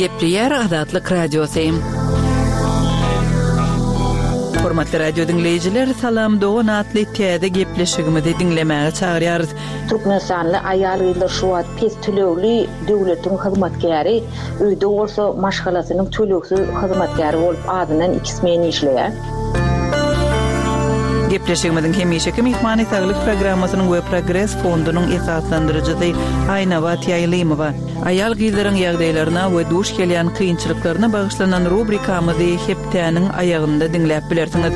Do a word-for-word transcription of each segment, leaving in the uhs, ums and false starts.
Gepleýär Azatlyk Radiosy. Hormatly radio diňleýjiler, Salam dogan atly täze gepleşigimizi diňlemäge çagyrýarys. Türkmenistanly aýal-gyzlar şu wagt pes tölegli döwletiň hyzmatkäri, öýde bolsa maşgalasynyň tölegsiz hyzmatkäri bolup azyndan iki smen işleýär. Gepleşigimiziň hemişeki myhmany Saglyk programmasynyň we Progres fondunyň esaslandyryjysy Aýnabat Ýaýlymowa. Aýal-gyzlaryň ýagdaýlaryna we duş gelýän kynçylyklaryna bagyşlanan rubrikamyzy hepdäniň aýagynda diňläp bilersiňiz.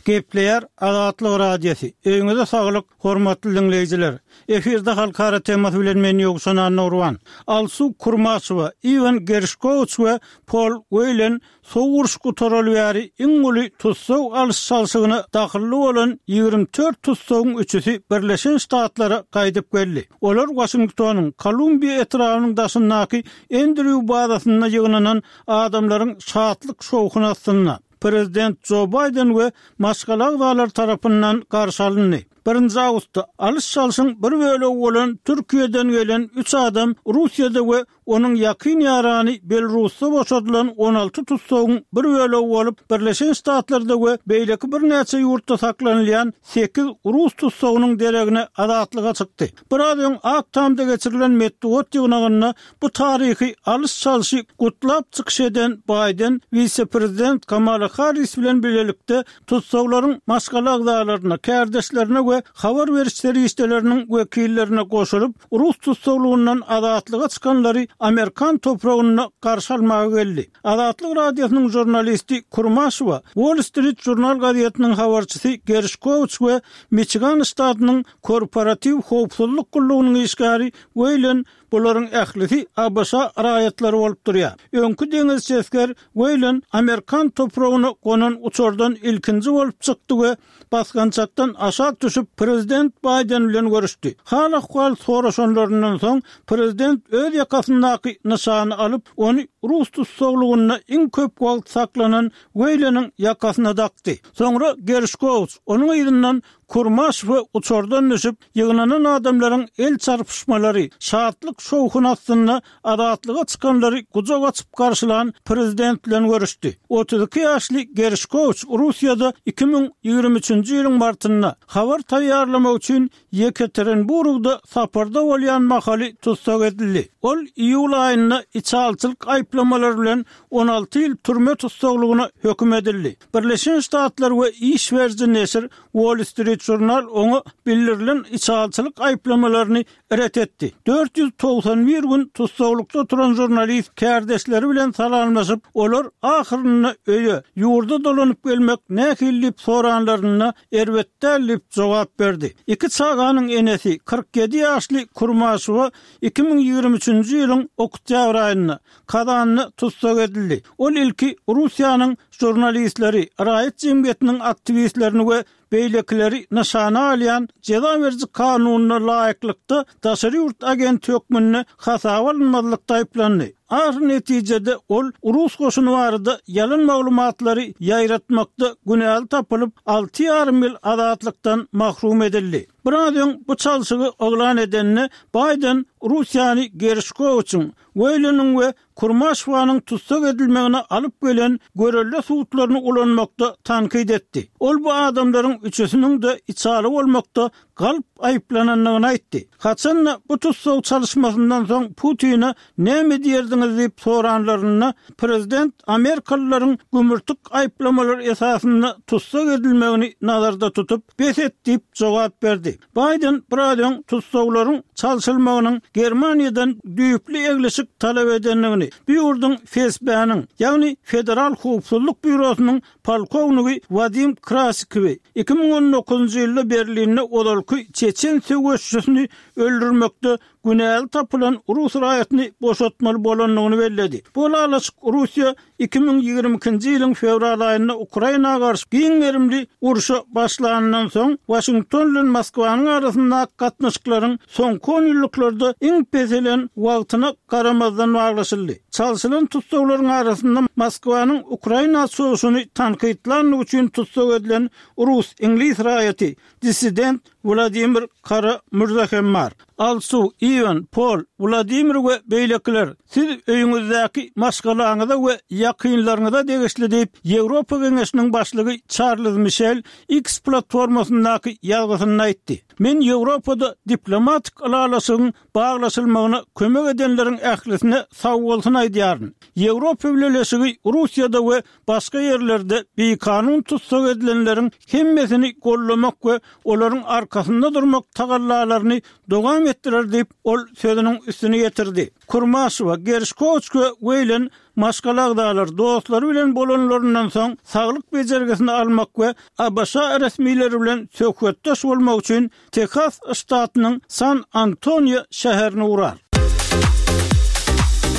Gepleýär Azatlyk Radiosy. Öýüňize saglyk, hormatly diňleýjiler. Efirde halkara temasy bilen men Ýowşan Annagurban. Alsu Kurmaşowa, Iwan Gerşkowiç we Pol Weýlen sowuk uruş gutaraly bäri iň uly tussag alyş-çalşygyna dahylly bolan ýigrimi dört tussagyň üçüsi Birleşen Ştatlara gaýdyp geldi. Olar Waşingtonyň Kolumbiýa etrabynyň daşyndaky Endrýu bazasynda ýygnanan adamlaryň şatlyk-şowhuny astynda, prezident Jo Baýden we maşgala agzalary tarapyndan garşy alyndy. Birinji awgustda alyş-çalşyň bir bölegi bolan Türkiýeden gelen üç adam Russiýada we onuň ýakyn ýarany Belarusda boşadylan on alty tussagyň bir bölegi bolup, Birleşen Ştatlarda we beýleki birnäçe ýurtda saklanylýan sekiz rus tussagynyň deregine azatlyga çykdy. Biraz öň Ak Tamda geçirilen metbugat ýygnagynda bu taryhy alyş-çalşy gutlap çykyş eden Baýden wise-prezident Kamala Harris bilen bilelikde tussaglaryň maşgala agzalaryna, kärdeşlerine we habar beriş serişdeleriniň wekillerine goşulyp, rus tussaglygyndan azatlyga çykanlary amerikan topragynda garşy almaga geldi. Azatlyk Radiosynyň žurnalisti Kurmaşowa, Wall Street Journal gazetiniň habarçysy Gerşkowiç we Miçigan ştatynyň Korporatiw howpsuzlyk gullugynyň işgäri Weýlen, bularyň ählisi ABŞ raýatlary bolup durýar. Öňki deňizçi esger Weýlen amerikan topragyna gonan uçardan ilkinji bolup çykdy we basgançakdan aşak düşüp, prezident Baýden bilen görüşdi. Hal-ahwal soraşanlaryndan soň, prezident öz ýakasyndaky nyşany alyp, ony rus tussaglygynda iň köp wagt saklanan Weýleniň ýakasyna dakdy. Soňra Gerşkowiç, onuň yzyndan Kurmaşow uçardan düşüp, ýygnanan adamlaryň el çarpyşmalary, şatlyk-şowhun astynda azatlyga çykanlary gujak açyp garşylan prezident bilen görüşdi. Otuz iki ýaşly Gerşkowiç Russiýada iki müň ýigrimi üçünji ýylyň martynda habar taýýarlamak üçin Ýekaterinburgda saparda bolýan mahaly tussag edildi. Ol iýul aýynda içalyçylyk aýyplamalary bilen on alty ýyl türme tussaglygyna höküm edildi. Birleşen Ştatlar we iş beriji neşir Wall Street Journal oňa bildirilen içalyçylyk aýyplamalaryny ret etdi. Dört ýüz togsan bir gün tussaglykda oturan žurnalist kärdeşleri bilen salamlaşyp, olar ahyrynda öýe, ýurda dolanyp gelmek nähili diýip soranlarynda, erbet däl diýip jogap berdi. Iki çaganyň enesi, kyrk ýedi ýaşly Kurmaşowa iki müň ýigrimi üçünji ýylyň oktýabr aýynda Kazanda tussag edildi. Ol ilki Russiýanyň žurnalistleri, raýat jemgyýetiniň aktiwistlerini we beýlekileri nyşana alýan jeza beriji kanunyna laýyklykda daşary ýurt agenti hökmünde hasaba alynmazlykda aýyplandy. Ahyr netijede ol rus goşuny barada ýalan maglumatlary ýaýratmakda günäli tapylyp, alty ýarym ýyl azatlykdan mahrum edildi. Biraz öň bu çalşygy yglan edende, Baýden Russiýany Gerşkowiçiň, Weýleniň we Kurmaşowanyň tussag edilmegine alyp gelen görelde sudlaryny ulanmakda tankyt etdi. Ol bu adamlaryň üçüsiniň-de içaly bolmakda galp aýyplanandygyny aýtdy. Haçan-da bu tussag çalyşmasyndan soň Putine näme diýerdiňiz diýip soranlarynda, prezident amerikalylaryň gümürtik aýyplamalar esasynda tussag edilmegini nazarda tutup, bes et diýip jogap berdi. Baýden biraz öň tussaglaryň çalşylmagynyň Germaniýadan düýpli eglişik talap edendigini, bu ýurduň F S B-niň, ýagny Federal howpsuzlyk býurosynyň polkownigi Wadim Krasikowy iki müň on dokuzynjy ýylda Berlinde ozalky çeçen söweşçisini öldürmekde günäli tapylan rus raýatyny boşatmaly bolandygyny belledi. Bu ylalaşyk Russiýa iki müň ýigrimi ikinji ýylyň fewral aýynda Ukraina garşy giň gerimli urşa başlanyndan soň Waşington bilen Moskwanyň arasyndaky gatnaşyklaryň soňky onýyllyklarda iň peselen wagtyna garamazdan baglaşyldy. Çalşylan tussaglaryň arasynda Moskwanyň Ukraina çozuşyny tankytlandygy üçin tussag edilen rus-iňlis raýaty, dissident Wladimir Kara-Mürze hem bar. Alsu, Iwan, Pol, Wladimir we beýlekiler, siz öýüňizdäki maşgalaňyza we ýakynlaryňyza degişli diýip, Ýewropa Geňeşiniň başlygy Çarlz Mişel X platformasyndaky ýazgysynda aýtdy. Men Ýewropada diplomatik ylalaşygyň baglaşylmagyna kömek edenleriň ählisine sagbolsun aýdýaryn. Ýewropa Bileleşigi Russiýada we başga ýerlerde bikanun tussag edilenleriň hemmesini gollamak we olaryň arkasynda durmak tagallalaryny dowam etdirer diýip, ol sözüniň üstüni ýetirdi. Kurmaşewa, Gerşkowiç we Weýlen maşgala agzalary, dostlary bilen bolanlaryndan soň saglyk bejergisini almak we ABŞ resmileri bilen söhbetdeş bolmak üçin Tehas ştatynyň San Antonio şäherine ugrar.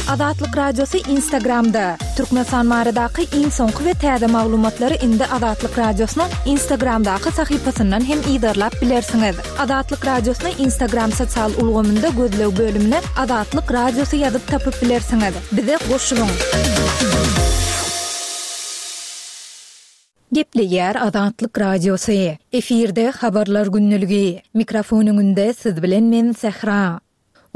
Azatlyk Radiosy Instagramda, Türkmenistan baradaky iň soňky we täze maglumatlary indi Azatlyk Radiosynyň Instagramdaky sahypasyndan hem yzarlap bilersiňiz. Azatlyk Radiosyny Instagram sosial ulgamynda gözleg bölümine Azatlyk Radiosy ýazyp tapyp bilersiňiz. Bize goşulyň! Gepleýär Azatlyk Radiosy. Efirde Habarlar gündeligi. Mikrofon öňünde siz bilen men Sähra.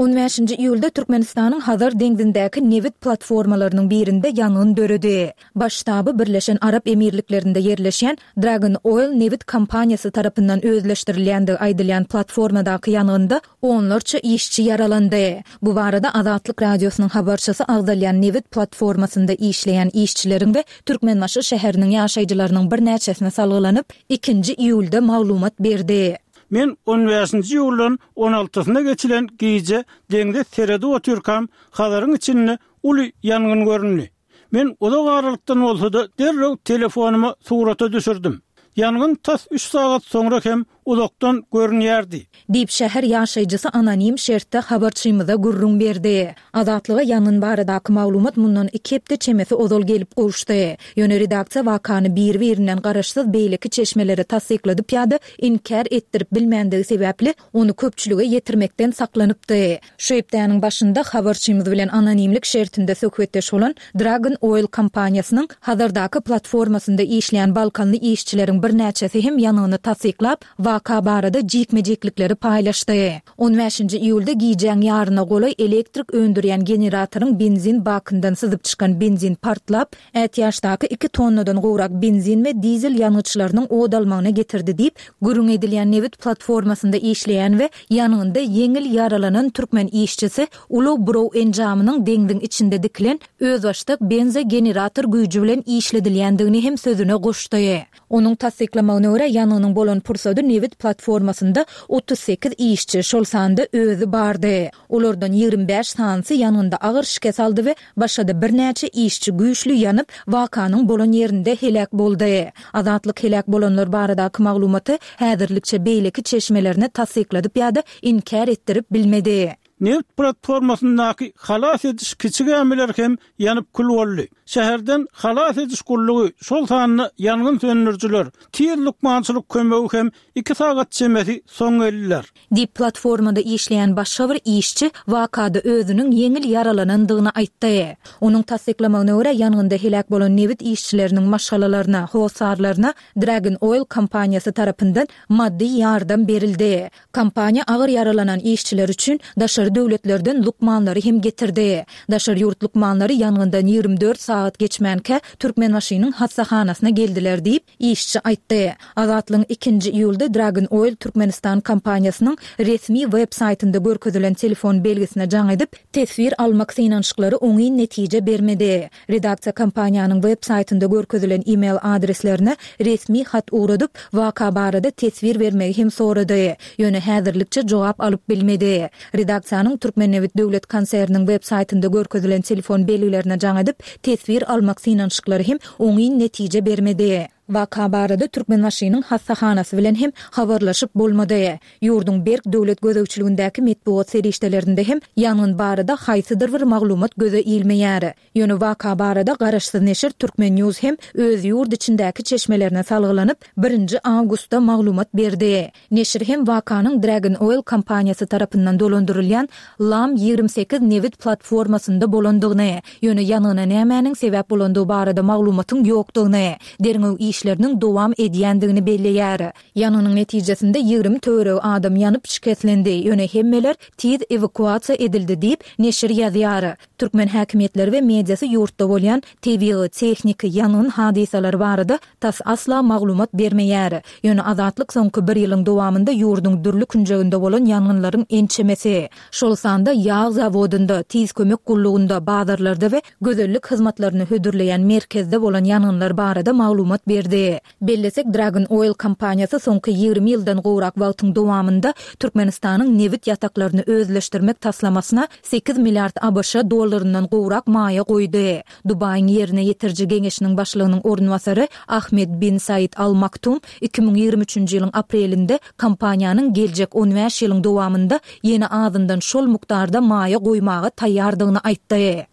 On bäşinji iýulda Türkmenistanyň Hazar deňzindäki nebit platformalarynyň birinde ýangyn döredi. Baş ştaby Birleşen Arap Emirliklerinde ýerleşýän Dragon Oil nebit kompaniýasy tarapyndan özleşdirilýändigi aýdylýan platformadaky ýangynda onlarça işçi ýaralandy. Bu barada Azatlyk Radiosynyň habarçysy agzalýan nebit platformasynda işleýän işçileriň we Türkmenbaşy şäheriniň ýaşaýjylarynyň birnäçesine salgylanyp, ikinji iýulda maglumat berdi. Men on bäşinji iýuldan on altysyna geçilen gije deňze seredip otyrkam, Hazaryň içinde uly ýangyn göründi. Men uzak aralykdan bolsa-da derrew telefonyma surata düşürdim. Ýangyn tas üç sagat soňra hem uzakdan görünýärdi. Diýip, şäher ýaşaýjysy anonim şertde habarçymyza gürrüň berdi. Azatlyga ýangyn baradaky maglumat mundan iki hepde çemesi ozal gelip gowuşdy. Ýöne redaksiýa wakany biri-birinden garaşsyz beýleki çeşmelere tassykladyp ýa-da inkär etdirip bilmändigi sebäpli, ony köpçülige ýetirmekden saklanypdy. Şu hepdäniň başynda habarçymyz bilen anonimlik şertinde söhbetdeş bolan Dragon Oil kompaniýasynyň Hazardaky platformasynda işleýän balkanly işçileriň birnäçesi hem ýangyny tassyklap, waka barada jikme-jiklikleri paýlaşdy. On bäşinji iýulda gijäň ýaryna golaý elektrik öndürýän generatoryň benzin bakyndan syzyp çykan benzin partlap, ätiýaçdaky iki tonnadan gowrak benzin we dizel ýangyçlarynyň ot almagyna getirdi diýip, gürrüň edilýän nebit platformasynda işleýän we ýangynda ýeňil ýaralanan türkmen işçisi ulag-buraw enjamynyň deňziň içinde dikilen özbaşdak benzogenerator güýji bilen işledilýändigini hem sözüne goşdy. Onuň tassyklamagyna görä, ýangynyň bolan pursady nebit platformasynda otuz sekiz işçi, şol sanda özi bardy. Olardan ýigrimi bäş sanysy ýangynda agyr şikes aldy we başga-da birnäçe işçi güýçli ýanyp, wakanyň bolan ýerinde heläk boldy. Azatlyk heläk bolanlar baradaky maglumaty häzirlikçe beýleki çeşmelerine tassykladyp ýa-da inkär etdirip bilmedi. Nebit platformasyndaky halas ediş kiçi gämiler hem ýanyp kül boldy. Şäherden halas ediş gullugy, şol sanda ýangyn söndürijiler, tiz lukmançylyk kömegi hem iki sagat çemesi soň geldiler. Diýip, platformada işleýän başga bir işçi wakada özüniň ýeňil ýaralanandygyny aýtdy. Onuň tassyklamagyna görä, ýangynda heläk bolan nebit işçileriniň maşgalalaryna, hossarlaryna Dragon Oil kompaniýasy tarapyndan maddy ýardam berildi. Kompaniýa agyr ýaralanan işçiler üçin daşary döwletlerden lukmanlary hem getirdi. Daşary ýurt lukmanlary ýangyndan ýigrimi dört sagat geçmänkä Türkmenbaşynyň hassahanasyna geldiler diýip, işçi aýtdy. Azatlygyň ikinji iýulda Dragon Oil Türkmenistan kompaniýasynyň resmi web saýtynda görkezilen telefon belgisine jaň edip, teswir almak synanyşyklary oňyn netije bermedi. Redaksiýa kompaniýanyň web saýtynda görkezilen e-mail adreslerine resmi hat ugradyp, waka barada teswir bermegi hem sorady. Ýöne häzirlikçe jogap alyp bilmedi. Redaksiýanyň Türkmennebit döwlet konserniniň web saýtynda görkezilen telefon belgilerine jaň edip, teswir almak synanyşyklary hem oňyn netije bermedi. Waka barada Türkmenbaşynyň hassahanasy bilen hem habarlaşyp bolmady. Ýurduň berk döwlet gözegçiligindäki metbugat serişdelerinde hem ýangyn barada haýsydyr bir maglumat göze ilmeýär. Ýöne waka barada garaşsyz neşir Turkmen News hem öz ýurt içindäki çeşmelerine salgylanyp, birinji awgustda maglumat berdi. Neşir hem wakanyň Dragon Oil kompaniýasy tarapyndan dolandyrylýan Lam ýigrimi sekiz nebit platformasynda bolandygyny, ýöne ýangyna nämäniň sebäp bolandygy barada maglumatyň ýokdugyny, derňew işleriniň dowam edýändigini belleýär. Ýangynyň netijesinde ýigrimi töweregi adam ýanyp şikeslendi, ýöne hemmeler tiz ewakuasiýa edildi diýip, neşir ýazýar. Türkmen häkimiýetleri we mediasy ýurtda bolýan tebigy, tehniki ýangyn hadysalary barada tas asla maglumat bermeýär. Ýöne Azatlyk soňky bir ýylyň dowamynda ýurduň dürli künjeginde bolan ýangynlaryň ençemesi, şol sanda ýag zawodynda, tiz kömek gullugynda, bazarlarda we gözellik hyzmatlaryny hödürleýän merkezde bolan ýangynlar barada maglumat berdi. Bellesek, Dragon Oil kompaniýasy soňky ýigrimi ýyldan gowrak wagtyň dowamynda Türkmenistanyň nebit ýataklaryny özleşdirmek taslamasyna sekiz milliard ABŞ dollaryndan gowrak maýa goýdy. Dubaýyň Ýerine ýetiriji geňeşiniň başlygynyň orunbasary Ahmed bin Said Al Maktum iki müň ýigrimi üçünji ýylyň aprelinde kompaniýanyň geljek on bäş ýylyň dowamynda ýene azyndan şol mukdarda maýa goýmaga taýýardygyny aýtdy.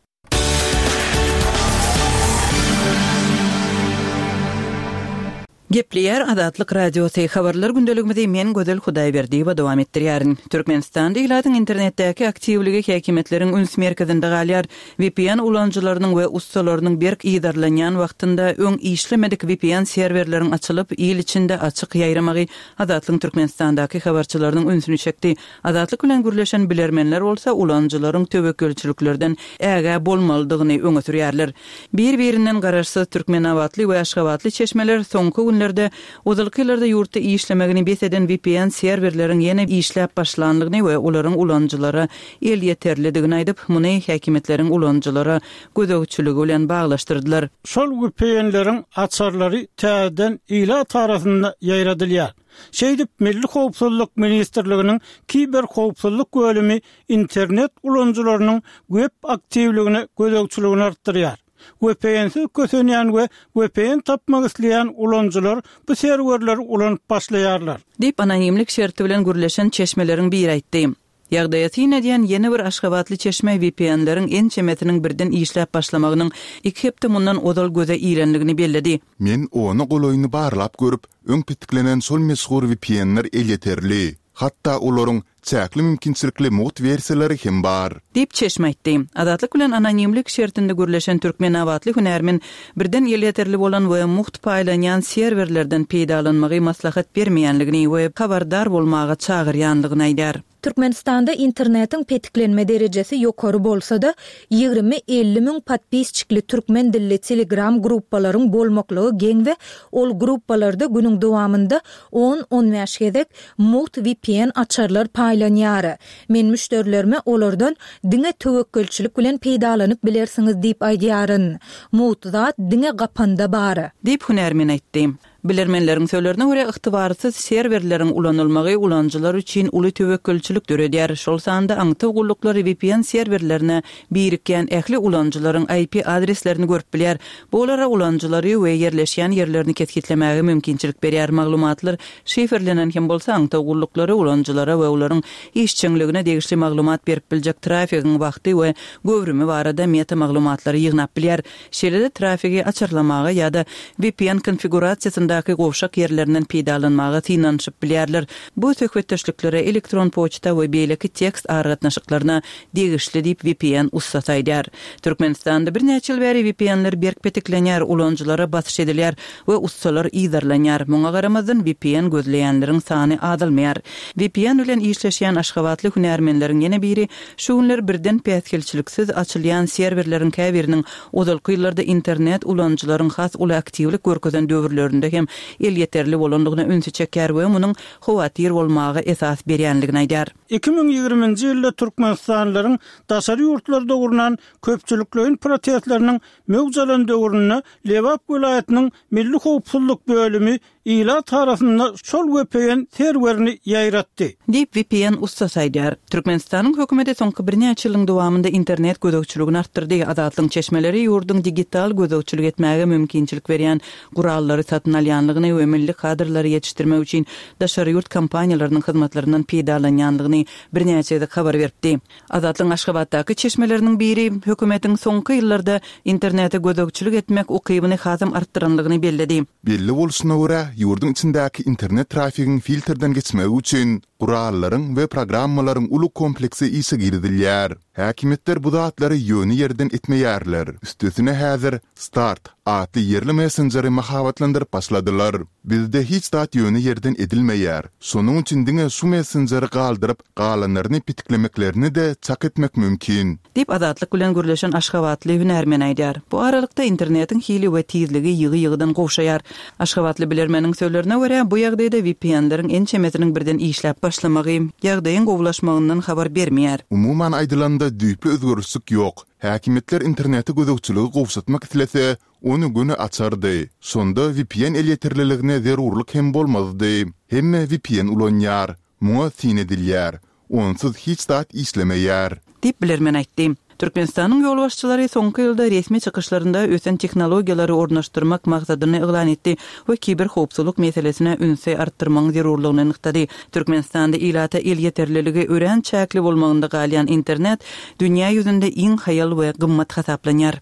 Gepleýär Azatlyk Radiosy habarlar gündeligimizi men Gözel Hudaýberdiýewa dowam etdirýärin. Türkmenistanda ilatyň internetdäki aktiwligi häkimiýetleriň üns merkezinde galýar. V P N ulanyjylarynyň we ussalarynyň berk yzarlanýan wagtynda öň işlemedik V P N serwerleriň açylyp, il içinde açyk ýaýramagy Azatlyk Türkmenistandaky habarçylarynyň ünsüni çekdi. Azatlyk bilen gürleşen bilermenler bolsa ulanyjylaryň töwekgelçiliklerden ägä bolmalydygyny öňe sürýärler. Bir-birinden garaşsyz Türkmenabatly we Aşgabatly çeşmeler soňky günlerde ozalky ýyllarda ýurtda işlemegini bes eden V P N serwerleriň ýene işläp başlanlygyny we olaryň ulanyjylara elýeterlidigini aýdyp, muny häkimiýetleriň ulanyjylara gözegçiligi bilen baglaşdyrdylar. Şol V P N-leriň açarlary täzeden ilat arasynda ýaýradylýar. Şeýdip Milli Howpsuzlyk Ministrliginiň kiber howpsuzlyk bölümi internet ulanyjylarynyň web aktiwligine gözegçiligini artdyrýar. V P N-siz kösenýän we V P N tapmak isleýän ulanyjylar bu serwerleri ulanyp başlaýarlar. Diýip anonimlik şerti bilen gürleşen çeşmeleriň biri aýtdy. Ýagdaýa syn edýän ýene bir Aşgabatly çeşme V P N-leriň ençemesiniň birden işläp başlamagynyň iki hepde mundan ozal göze ilenligini belledi. Men ony golaýyny barlap görüp, öň petiklenen şol meşhur V P N-ler elýeterli. Hatda olaryň çäkli mümkinçilikli mugt wersiýalary hem bar. Diýip çeşme aýtdy. Azatlyk bilen anonimlik şertinde gürleşen Türkmenabatly hünärmen birden elýeterli bolan we mugt paýlanýan serwerlerden peýdalanmagy maslahat bermeýänligini we habardar bolmaga çagyrýanlygyny aýdar. Türkmenistanda internetiň petiklenme derejesi ýokary bolsa-da, ýigrimi elli müň podpisçikli türkmen dilli Telegram gruppalaryň bolmaklygy geň we ol gruppalarda günüň dowamynda on-on bäş gezek mugt V P N açarlar paýlanýar. Men müşderilerime olardan diňe töwekgelçilik bilen peýdalanyp bilersiňiz diýip aýdýaryn. Mugt zat diňe gapanda bar. Diýip hünärmen aýtdy. Bilermenleriň sözlerine görä ygtybarsyz serwerleriň ulanylmagy ulanyjylar üçin uly töwekgelçilik döredýär. Şol sanda aňtaw gulluklary V P N serwerlerine birikýän ähli ulanyjylaryň I P adreslerini görüp bilýär. Bu olara ulanyjylary we ýerleşýän ýerlerini kesgitlemäge mümkinçilik berýär. Maglumatlar şifrlenen hem bolsa aňtaw gulluklary ulanyjylara we olaryň işjeňligine degişli maglumat berip biljek trafigiň wagty we göwrümi barada meta maglumatlary ýygnap bilýär. Şeýle-de trafigi açarlamaga ýa-da V P N konfigurasiýasyndaky gowşak ýerlerinden peýdalanmaga synanyşyp bilýärler. Bu söhbetdeşliklere elektron poçta we beýleki tekst aragatnaşyklaryna degişli diýip V P N ussasy aýdar. Türkmenistanda birnäçe ýyl bäri V P N-ler berk petiklenýär, ulanyjylara basyş edilýär we ussalar yzarlanýar. Muňa garamazdan V P N gözleýänleriň sany azalmaýar. V P N bilen işleşýän Aşgabatly hünärmenleriň ýene biri şu günler birden päsgelçiliksiz açylýan serwerleriň käbiriniň ozalky ýyllarda internet ulanyjylaryň has uly aktiwlik görkezen döwürlerinde hem elýeterli bolandygyna ünsi çeker we munuň howatyr bolmaga esas berýänligini aýdar. Iki müň ýigriminji ýylda Türkmenistanlylaryň daşary ýurtlarda gurnan köpçülikleýin protestleriniň möwç alan döwründe Lebap welaýatynyň Milli Howpsuzlyk bölümi ilat arasynda şol V P N serwerini ýaýratdy. Diýip V P N ussasy aýdar. Türkmenistanyň hökümeti soňky birnäçe ýylyň dowamynda internet gözegçiligini artdyrdy. Azatlyk çeşmeleri ýurduň digital gözegçilik etmäge mümkinçilik berýän gurallary satyn alýanlygyny we milli kadrlary ýetişdirmek üçin daşary ýurt kompaniýalarynyň hyzmatlaryndan peýdalanýanlygyny birnäçe gezek habar beripdi. Azatlyk Aşgabatdaky çeşmeleriniň biri hökümetiň soňky ýyllarda internete gözegçilik etmek ukybyny hasam artdyranlygyny belledi. Belli bolşuna görä, ýurduň içindäki internet trafigiň filtrden geçmegi üçin gurallaryň we programmalaryň uly kompleksi işe girizilýär. Häkimiýetler bu zatlary ýöne ýerden etmeýärler. Üstesine häzir Start atly ýerli messenjeri mahabatlandyryp başladylar. Bizde hiç zat ýöne ýerden edilmeýär. Şonuň üçin diňe şu messenjeri galdyryp, galanlaryny petiklemeklerini-de çak etmek mümkin. Diýip, Azatlyk bilen gürleşen aşgabatly hünärmen aýdýar. Bu aralykda internetiň hili we tizligi ýygy-ýygydan gowşaýar. Aşgabatly bilermeniň sözlerine görä, bu ýagdaýda V P N-leriň ençemesiniň birden işläp başlamagy ýagdaýyň gowulaşmagyndan habar bermeýär. Umuman aýdylanda düýpli özgerişlik ýok. Häkimiýetler internete gözegçiligi gowşatmak islese, ony göni açardy. Şonda V P N elýeterliligine zerurlyk hem bolmazdy. Hemme V P N ulanýar. Muňa syn edilýär. Onsuz hiç zat işlemeýär. Diýip bilermen aýtdy. Türkmenistanyň ýolbaşçylary soňky ýylda resmi çykyşlarynda ösen tehnologiýalary ornaşdyrmak maksadyny yglan etdi we kiberhowpsuzlyk meselesine ünsi artdyrmagyň zerurlygyny nygtady. Türkmenistanda ilata elýeterliligi örän çäkli bolmagynda galýan internet dünýä ýüzünde iň haýal we gymmat hasaplanýar.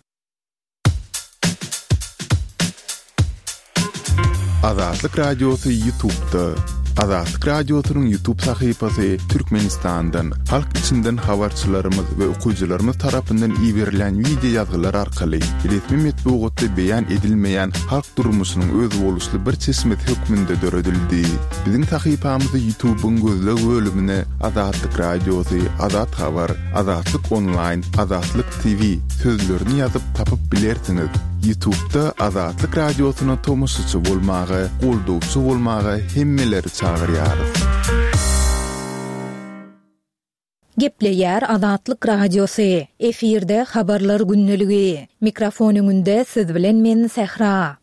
Azatlyk Radiosy YouTube'da. Azatlyk Radiosynyň YouTube sahypasy Türkmenistandan, halk içinden habarçylarymyz we okyjylarymyz tarapyndan iberilen wideo ýazgylar arkaly resmi metbugatda beýan edilmeýän halk durmuşynyň özboluşly bir çeşmesi hökmünde döredildi. Biziň sahypamyzy YouTube'yň gözleg bölümine Azatlyk Radiosy, Azat Habar, Azatlyk Online, Azatlyk T V sözlerini ýazyp tapyp bilersiňiz. YouTube'da Azatlyk Radiosyna tomaşaçy bolmaga, goldawçy bolmaga hemmeleri çagyrýarys. Gepleýär Azatlyk Radiosy. Efirde habarlar gündeligi. Mikrofon öňünde siz bilen men Sähra.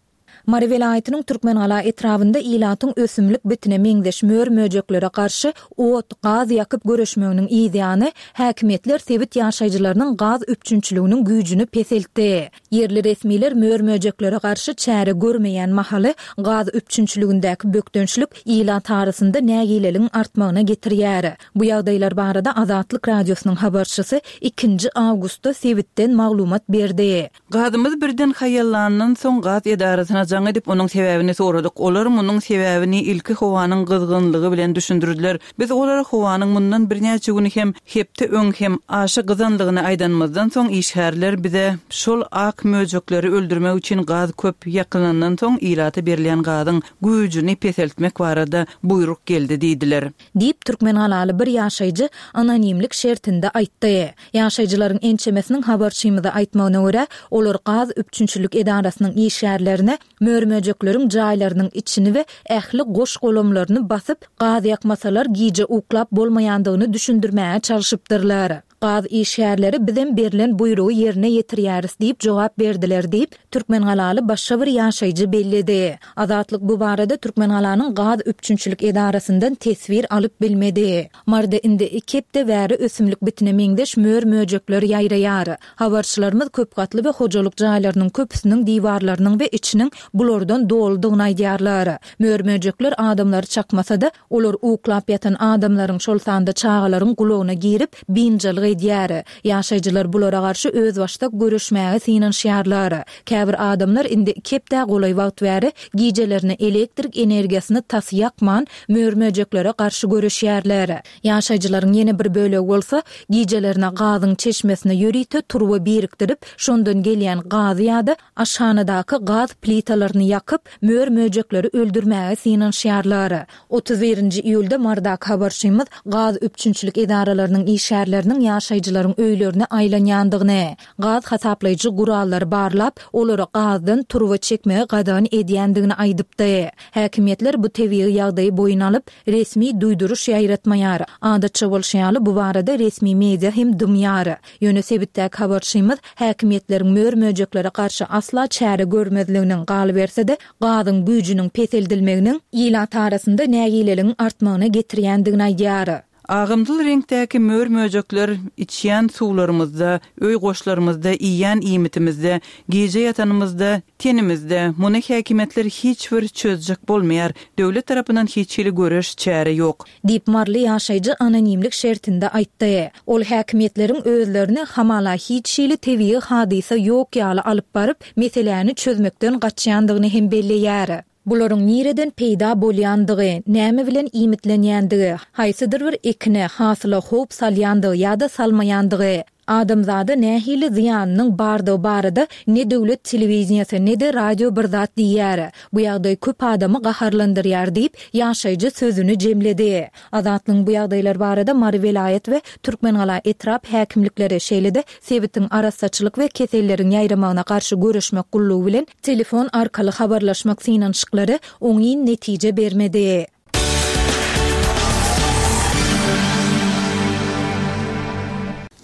Mary welaýatynyň Türkmengala etrabynda ilatyň ösümlik bitine meňzeş mör-möjeklere garşy ot, gaz ýakyp göreşmeginiň ýany häkimiýetler sebit ýaşaýjylarynyň gaz üpjünçiliginiň güýjüni peseltdi. Ýerli resmiler mör-möjeklere garşy çäre görmeýän mahaly gaz üpjünçiligindäki bökdençlik ilat arasynda nägileligiň artmagyna getirýär. Bu ýagdaýlar barada Azatlyk Radiosynyň habarçysy ikinji awgustda sebitden maglumat berdi. Gazymyz birden haýallandan soň gaz edarasyna jaň edip onuň sebäbini soradyk. Olar munuň sebäbini ilki howanyň gyzgynlygy bilen düşündirdiler. Biz olara howanyň mundan birnäçe gün hem hepde öň hem aşa gyzanlygyny aýdanymyzdan soň işgärler bize şol ak möjekleri öldürmek üçin gaz köp ýakylandan soň ilata berilýän gazyň güýjüni peseltmek barada buýruk geldi diýdiler. Diýip Türkmengalaly bir ýaşaýjy anonimlik şertinde aýtdy. Ýaşaýjylaryň ençemesiniň habarçymyza aýtmagyna görä, olar gaz üpjünçilik edarasynyň işgärlerine mör-möjekleriň jaýlarynyň içini we ähli goş golamlaryny basyp, gaz ýakmasalar gije uklap bolmaýandygyny düşündirmäge çalşypdyrlar. Gaz işgärleri bizem berlen buýrugy ýerine ýetirýäris diýip jogap berdiler diýip Türkmengalaly başga bir ýaşaýjy belledi. Azatlyk bu barada Türkmengalanyň gaz üpjünçilik edarasyndan teswir alyp bilmedi. Maryda indi iki hepde bäri ösümlik bitine meňzeş mör-möjekler ýaýraýar. Habarçylarymyz köp gatly we hojalyk jaýlarynyň köpüsiniň diwarlarynyň we içiniň bulardan doludygyny aýdýarlar. Mör-möjekler adamlary çakmasa-da, olar uklap ýatan adamlaryň, şol sanda çagalaryň gulagyna girip, biynjalyk edýär. Ýaşaýjylar bulara garşy özbaşdak görüşmäge synanyşýarlar. Käbir adamlar indi iki hepde golaý wagt bäri gijelerini elektrik energiýasyny tas ýakman mör-möjeklere garşy görüşýärler. Ýaşaýjylaryň ýene bir bölegi bolsa gijelerine gazyň çeşmesine ýörite turba birikdirip, şondan gelýän gazy ýa-da aşhanadaky gaz plitalaryny ýakyp, mör-möjekleri öldürmäge synanyşýarlar. Otuz birinji iýulda Marydaky habarçymyz gaz üpjünçilik edaralarynyň işgärleriniň ýaşaýjylaryň öýlerine aýlanýandygyny, gaz hasaplaýjy gurallary barlap, olara gazdan turba çekmegi gadagan edýändigini aýdypdy. Häkimiýetler bu tebigy ýagdaýy boýun alyp, resmi duýduryş ýaýratmaýar. Adatça bolşy ýaly bu barada resmi media hem dymýar. Ýöne sebitdäki habarçymyz häkimiýetleriň mör-möjeklere garşy asla çäre görmezliginiň galyberse-de gazyň güýjüniň peseldilmeginiň ilat arasynda nägileligiň artmagyna getirýändigini aýdýar. Agymdyl reňkdäki mör-möjekler içýän suwlarymyzda, öý goşlarymyzda, iýen iýmitimizde, gije ýatanymyzda, tenimizde muny häkimiýetler hiç bir çözjek bolmaýar. Döwlet tarapyndan hiç hili göreş çäre ýok. Diýip Marly ýaşaýjy anonimlik şertinde aýtdy. Ol häkimiýetleriň özlerini hamala hiç hili tebigy hadysa ýok ýaly alyp baryp, meseläni çözmekden gaçýandygyny hem belleýär. Bularyň nireden peýda bolýandygy, näme bilen iýmitlenýändigi, haýsydyr bir ekine, hasyla howp salýandygy ýa-da salmaýandygy, Adamzada nähili zyýanynyň bardygy barada ne döwlet telewideniýesi, ne-de radio bir zat diýýär. Bu ýagdaý köp adamy gaharlandyrýar diýip, ýaşaýjy sözüni jemledi. Azatlygyň bu ýagdaýlar barada Mary welaýat we Türkmengala etrap häkimlikleri, şeýle-de sebitiň arassaçylyk we keselleriň ýaýramagyna garşy göreşmek gullugy bilen telefon arkaly habarlaşmak synanyşyklary oňyn netije bermedi.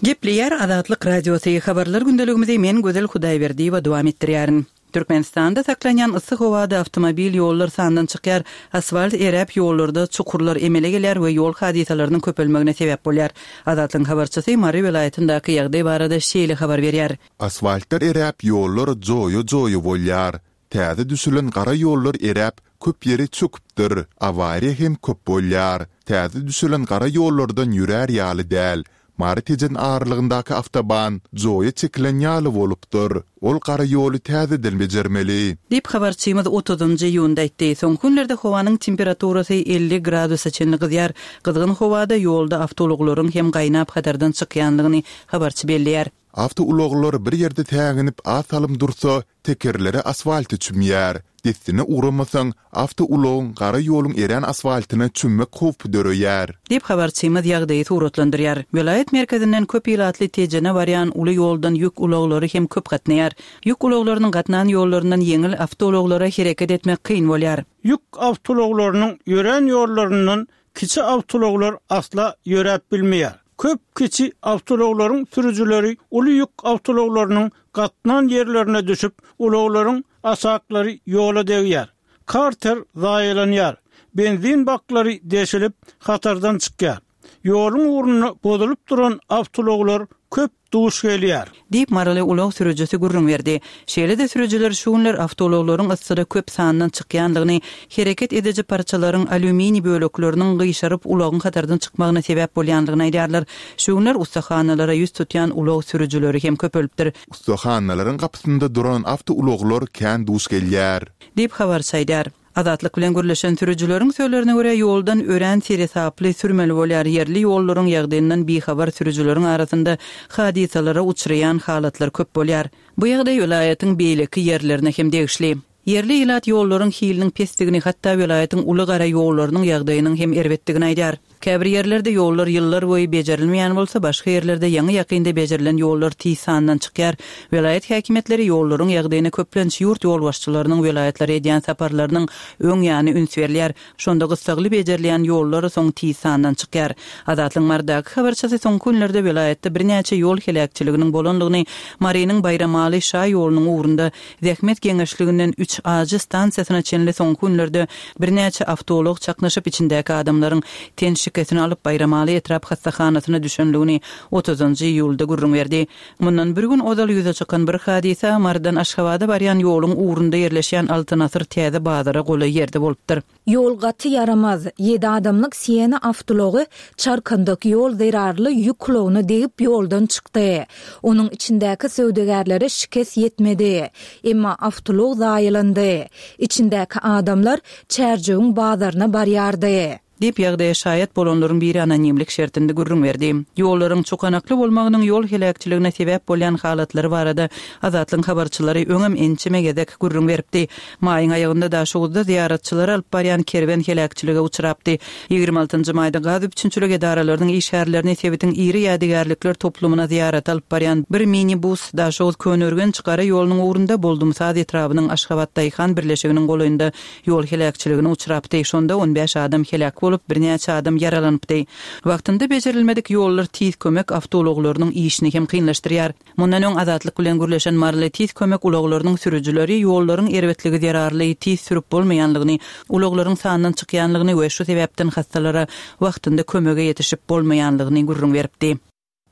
Gepleýär Azatlyk Radiosy, Habarlar gündeligimizi men Gözel Hudaýberdiýewa dowam etdirýärin. Türkmenistanda saklanýan yssy howada awtomobil ýollar sandan çykýar, asfalt eräp ýollarda çukurlar emele gelýär we ýol hadysalarynyň köpelmegine sebäp bolýar. Azatlygyň habarçysy Mary welaýatyndaky ýagdaý barada şeýle habar berýär. Asfaltlar eräp ýollar joýa-joýa bolýar. Täze düşülen gara ýollar eräp köp ýeri çöküpdir. Awariýa hem köp bolýar. Täze düşülen gara ýollardan ýörär ýaly däl. Mary-Tejen aralygyndaky awtoban joýa çekilen ýaly bolupdyr. Ol gara ýoly täzeden bejermeli. Diýip, habarçymyz otuzynjy iýunda aýtdy. Soňky günlerde howanyň temperaturasy elli gradusa çenli gyzýar. Gyzgyn howada ýolda awtoulaglaryň hem gaýnap hatardan çykýanlygyny habarçy belleýär. Awtoulaglar bir ýerde säginip az salym dursa, tekerleri asfalta çümýär. Dessine ugramasaň, awtoulagyň gara ýoluň erän asfaltyna çümmek howpy döreýär. Diýip, habarçymyz ýagdaýy suratlandyrýar. Welaýat merkezinden köp ilatly Tejene barýan uly ýoldan ýük ulaglary hem köp gatnaýar. Ýük ulaglarynyň gatnan ýollaryndan ýeňil awtoulaglara hereket etmek kyn bolýar. Ýük awtoulaglarynyň ýörän ýollaryndan kiçi awtoulaglar asla ýöräp bilmeýär. Köp kiçi awtoulaglaryň sürüjileri uly ýük awtoulaglarynyň gatnan ýerlerine düşüp, ulaglaryň aşaklary ýola degýär. Karter zaýalanýar. Benzin baklary deşilip, hatardan çykýar. Ýoluň ugrunda bozulyp duran awtoulaglar köp duş gelýär. Diýip, maryly ulag sürüjisi gürrüň berdi. Şeýle-de sürüjiler şu günler awtoulaglaryň yssyda köp sandan çykýandygyny, hereket ediji parçalaryň alýuminiý bölekleriniň gyşaryp ulagyň hatardan çykmagyna sebäp bolýandygyny aýdýarlar. Şu günler ussahanalara ýüz tutýan ulag sürüjileri hem köpelipdir. Ussahanalaryň gapysynda duran awtoulaglar kän duş gelýär. Diýip, habarçy aýdýar. Azatlyk bilen gürleşen sürüjileriň sözlerine görä, ýoldan örän seresaply sürmeli bolýar, ýerli ýollaryň ýagdaýyndan bihabar sürüjileriň arasynda hadysalara uçraýan halatlar köp bolýar. Bu ýagdaý welaýatyň beýleki ýerlerine hem degişli. Ýerli ilat ýollaryň hiliniň pesdigini, hatda welaýatyň uly gara ýollarynyň ýagdaýynyň hem erbetdigini aýdýar. Käbir ýerlerde ýollar ýyllar boýy bejerilmeýän bolsa, başga ýerlerde ýaňy-ýakynda bejerilen ýollar tiz sandan çykýar. Welaýat häkimiýetleri ýollaryň ýagdaýyna köplenç ýurt ýolbaşçylarynyň welaýatlara edýän saparlarynyň öň ýany üns berilýär. Şonda gyssagly bejerilýän ýollar soň tiz sandan çykýar. Azatlygyň Marydaky habarçysy soňky günlerde welaýatda birnäçe ýol heläkçiliginiň bolandygyny, Marynyň Baýramaly şa ýolunyň ugrunda Zähmet geňeşliginden üç ajy stansiýasyna çenli soňky günlerde birnäçe awtoulag çaknyşyp içindäki adamlaryň ten şikesini alyp Baýramaly etrap hassahanasyna düşenligini otuzynjy iýulda gürrüň berdi. Mundan bir gün ozal ýüze çykan bir hadysa Marydan Aşgabada barýan ýoluň ugrunda ýerleşýän Altyn asyr täze bazara golaý ýerde bolupdyr. Ýol gaty ýaramaz. Ýedi adamlyk Siena awtoulagy çarkandak ýol zerarly ýük ulagyna degip ýoldan çykdy. Onuň içindäki söwdagärlere şikes ýetmedi. Emma awtoulag zaýalandy. Içindäki adamlar Çärjewiň bazaryna barýardy. Diýip, ýagdaýa şaýat bolanlaryň biri anonimlik şertinde gürrüň berdi. Ýollaryň çukanakly bolmagynyň ýol heläkçiligine sebäp bolýan halatlary barada Azatlygyň habarçylary öňem ençeme gezek gürrüň beripdi. Maýyň aýagynda Daşoguzda zyýaratçylary alyp barýan kerwen heläkçilige uçrapdy. Ýigrimi altynjy maýda gaz üpjünçilik edaralarynyň işgärlerini sebitiň iri ýadygärlikler toplumyna zyýarata alyp barýan bir minibus Daşoguz-Köneürgenç gara ýolunyň ugrunda Boldumsaz etrabynyň Aşgabat daýhan birleşiginiň golaýynda ýol heläkçiligine uçrapdy. Şonda on bäş adam heläk bolup, birnäçe adam ýaralanypdy. Wagtynda bejerilmedik ýollar tiz kömek awtoulaglarynyň işini hem kynlaşdyrýar. Mundan öň Azatlyk bilen gürleşen maryly tiz kömek ulaglarynyň sürüjileri ýollaryň erbetligi zerarly tiz sürüp bolmaýanlygyny, ulaglaryň sandan çykýanlygyny we şu sebäpden hassalara wagtynda kömege ýetişip bolmaýanlygyny gürrüň beripdi.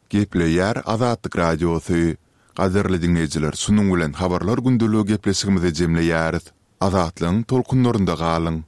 Gepleýär Azatlyk Radiosy. Gadyrly diňleýjiler, şunuň bilen Habarlar gündeligi gepleşigimizi jemleýäris. Azatlygyň tolkunlarynda galyň!